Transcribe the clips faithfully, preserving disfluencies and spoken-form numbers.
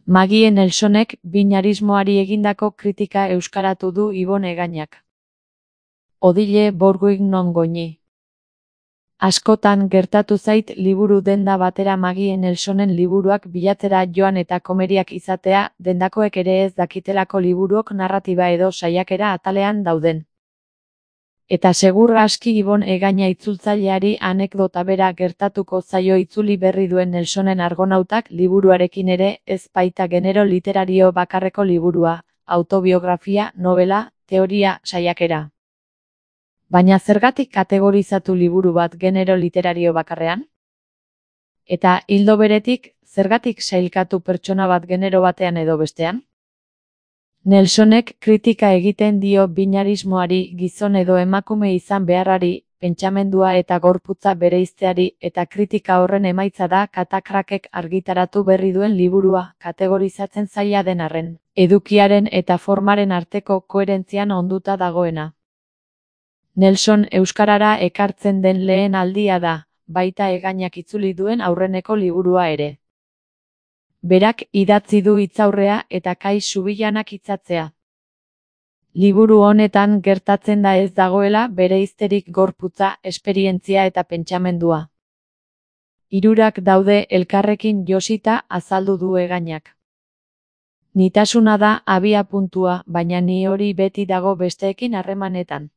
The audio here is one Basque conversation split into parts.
Magie Nelsonek binarismoari egindako kritika euskaratu du Ibon Egainak. Odile Bourgoin non goñi. Askotan gertatu zait liburu denda batera Magie Nelsonen liburuak bilatzera joan eta komeriak izatea, dendakoek ere ez dakitelako liburuok narratiba edo saiakera atalean dauden. Eta segur aski Ibon Egaina itzultzaileari anekdota bera gertatuko zaio itzuli berri duen Nelsonen Argonautak liburuarekin ere ez baita genero literario bakarreko liburua, autobiografia, novela, teoria, saiakera. Baina zergatik kategorizatu liburu bat genero literario bakarrean? Eta ildo beretik, zergatik sailkatu pertsona bat genero batean edo bestean? Nelsonek kritika egiten dio binarismoari, gizon edo emakume izan beharrari, pentsamendua eta gorputza bereizteari, eta kritika horren emaitza da Katakrakek argitaratu berri duen liburua, kategorizatzen zaila den arren, edukiaren eta formaren arteko koherentzian onduta dagoena. Nelson euskarara ekartzen den lehen aldia da, baita Egainak itzuli duen aurreneko liburua ere. Berak idatzi du hitzaurrea eta Kai Subillanak hitzatzea. Liburu honetan gertatzen da ez dagoela bereizterik gorputza, esperientzia eta pentsamendua. Hirurak daude elkarrekin josita azaldu du Egainak. Nitasuna da abia puntua, baina ni hori beti dago besteekin harremanetan.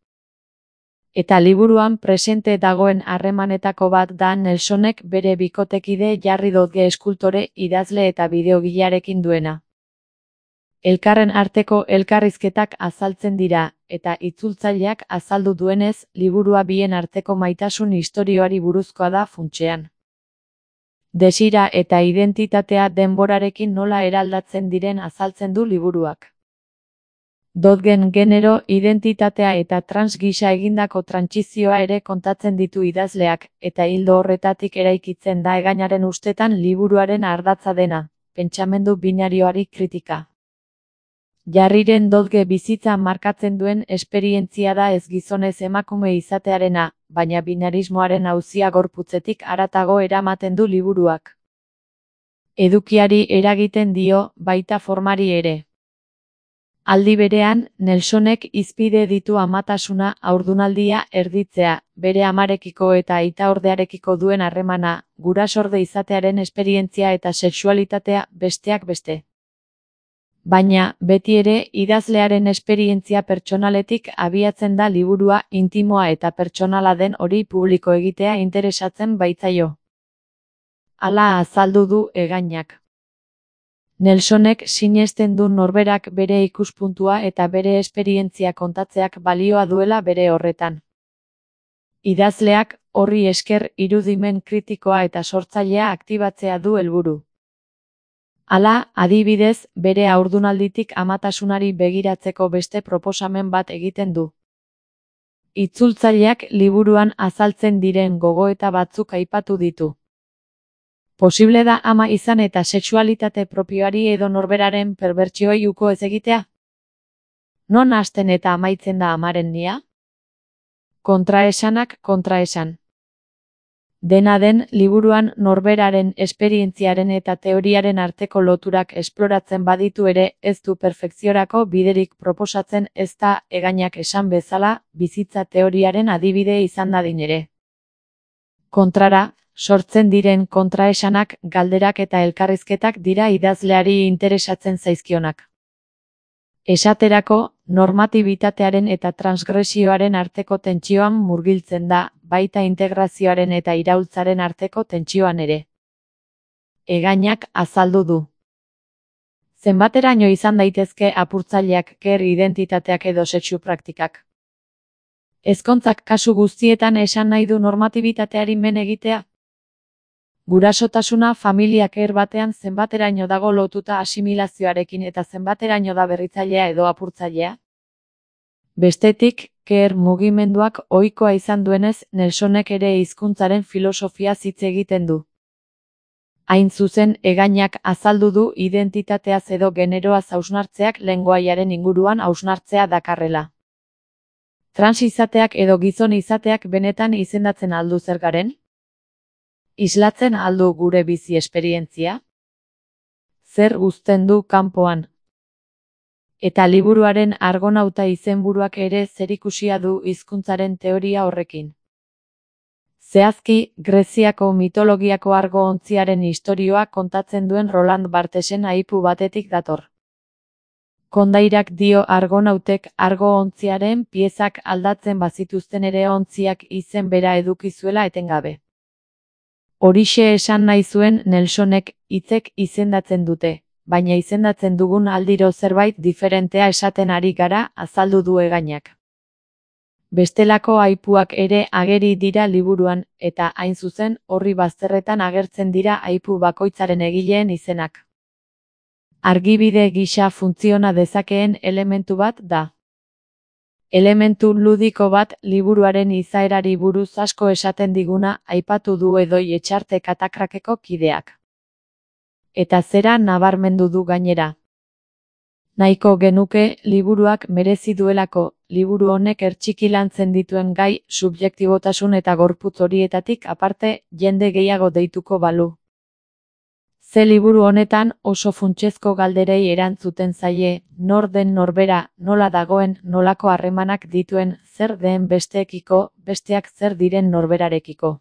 Eta liburuan presente dagoen harremanetako bat da Nelsonek bere bikotekide Jarri Dodge eskultore, idazle eta bideogilearekin duena. Elkarren arteko elkarrizketak azaltzen dira, eta itzultzaileak azaldu duenez, liburua bien arteko maitasun istorioari buruzkoa da funtsean. Desira eta identitatea denborarekin nola eraldatzen diren azaltzen du liburuak. Dodgen genero, identitatea eta trans gisa egindako trantsizioa ere kontatzen ditu idazleak, eta ildo horretatik eraikitzen da Egainaren ustetan liburuaren ardatza dena, pentsamendu binarioari kritika. Jarriren Dodge bizitza markatzen duen esperientzia da ez gizonez emakume izatearena, baina binarismoaren auzia gorputzetik haratago eramaten du liburuak. Edukiari eragiten dio, baita formari ere. Aldi berean, Nelsonek hizpide ditu amatasuna, haurdunaldia, erditzea, bere amarekiko eta aitaordearekiko duen harremana, gurasorde izatearen esperientzia eta sexualitatea, besteak beste. Baina, beti ere, idazlearen esperientzia pertsonaletik abiatzen da liburua, intimoa eta pertsonala den hori publiko egitea interesatzen baitzaio. Hala azaldu du Egainak. Nelsonek sinesten du norberak bere ikuspuntua eta bere esperientzia kontatzeak balioa duela bere horretan. Idazleak, horri esker irudimen kritikoa eta sortzailea aktibatzea du helburu. Hala, adibidez, bere haurdunalditik amatasunari begiratzeko beste proposamen bat egiten du. Itzultzaileak liburuan azaltzen diren gogoeta batzuk aipatu ditu. Posible da ama izan eta sexualitate propioari edo norberaren perbertsioi uko ez egitea? Non hasten eta amaitzen da amaren nia? Kontraesanak kontraesan. Dena den, liburuan norberaren esperientziaren eta teoriaren arteko loturak esploratzen baditu ere, ez du perfekziorako biderik proposatzen ez da Egainak esan bezala, bizitza teoriaren adibide izan dadin ere. Kontrara, sortzen diren kontraesanak, galderak eta elkarrizketak dira idazleari interesatzen zaizkionak. Esaterako, normatibitatearen eta transgresioaren arteko tentsioan murgiltzen da, baita integrazioaren eta iraultzaren arteko tentsioan ere. Egainak azaldu du. Zenbateraino izan daitezke apurtzaileak, queer identitateak edo sexu praktikak? Ezkontzak kasu guztietan esan nahi du normatibitateari men egitea? Gurasotasuna familia queer batean zenbateraino dago lotuta asimilazioarekin eta zenbateraino da berritzailea edo apurtzailea? Bestetik, queer mugimenduak ohikoa izan duenez, Nelsonek ere hizkuntzaren filosofia hitz egiten du. Hain zuzen, Egainak azaldu du identitateaz edo generoaz hausnartzeak lengoaiaren inguruan hausnartzea dakarrela. Trans izateak edo gizon izateak benetan izendatzen aldu zer garen? Islatzen aldu gure bizi esperientzia? zer uzten du kanpoan. Eta liburuaren Argonauta izenburuak ere zerikusia du hizkuntzaren teoria horrekin. Zehazki, Greziako mitologiako argo-ontziaren istorioa kontatzen duen Roland Barthesen aipu batetik dator. Kondairak dio argonautek argo-ontziaren piezak aldatzen bazituzten ere ontziak izen bera eduki zuela etengabe. Horixe esan nahi zuen Nelsonek, hitzek izendatzen dute, baina izendatzen dugun aldiro zerbait diferentea esaten ari gara, azaldu du Egainak. Bestelako aipuak ere ageri dira liburuan, eta hain zuzen horri bazterretan agertzen dira aipu bakoitzaren egileen izenak. Argibide gisa funtziona dezakeen elementu bat da. Elementu ludiko bat liburuaren izaerari buruz asko esaten diguna aipatu du Edoi Etxarte Katakrakeko kideak. Eta zera nabarmendu du gainera. Nahiko genuke liburuak merezi duelako, liburu honek ertxiki lantzen dituen gai, subjektibotasun eta gorputz horietatik aparte, jende gehiago deituko balu. Ze liburu honetan oso funtsezko galderei erantzuten zaie, nor den norbera, nola dagoen, nolako harremanak dituen, zer den besteekiko, besteak zer diren norberarekiko.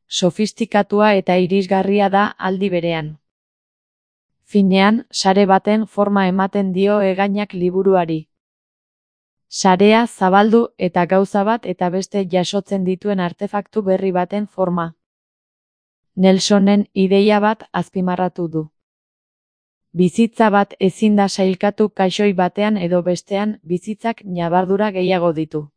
Sofistikatua eta irisgarria da aldi berean. Finean, sare baten forma ematen dio Egainak liburuari. Sarea zabaldu eta gauza bat eta beste jasotzen dituen artefaktu berri baten forma. Nelsonen ideia bat azpimarratu du. Bizitza bat ezin da sailkatu kaxoi batean edo bestean, bizitzak ñabardura gehiago ditu.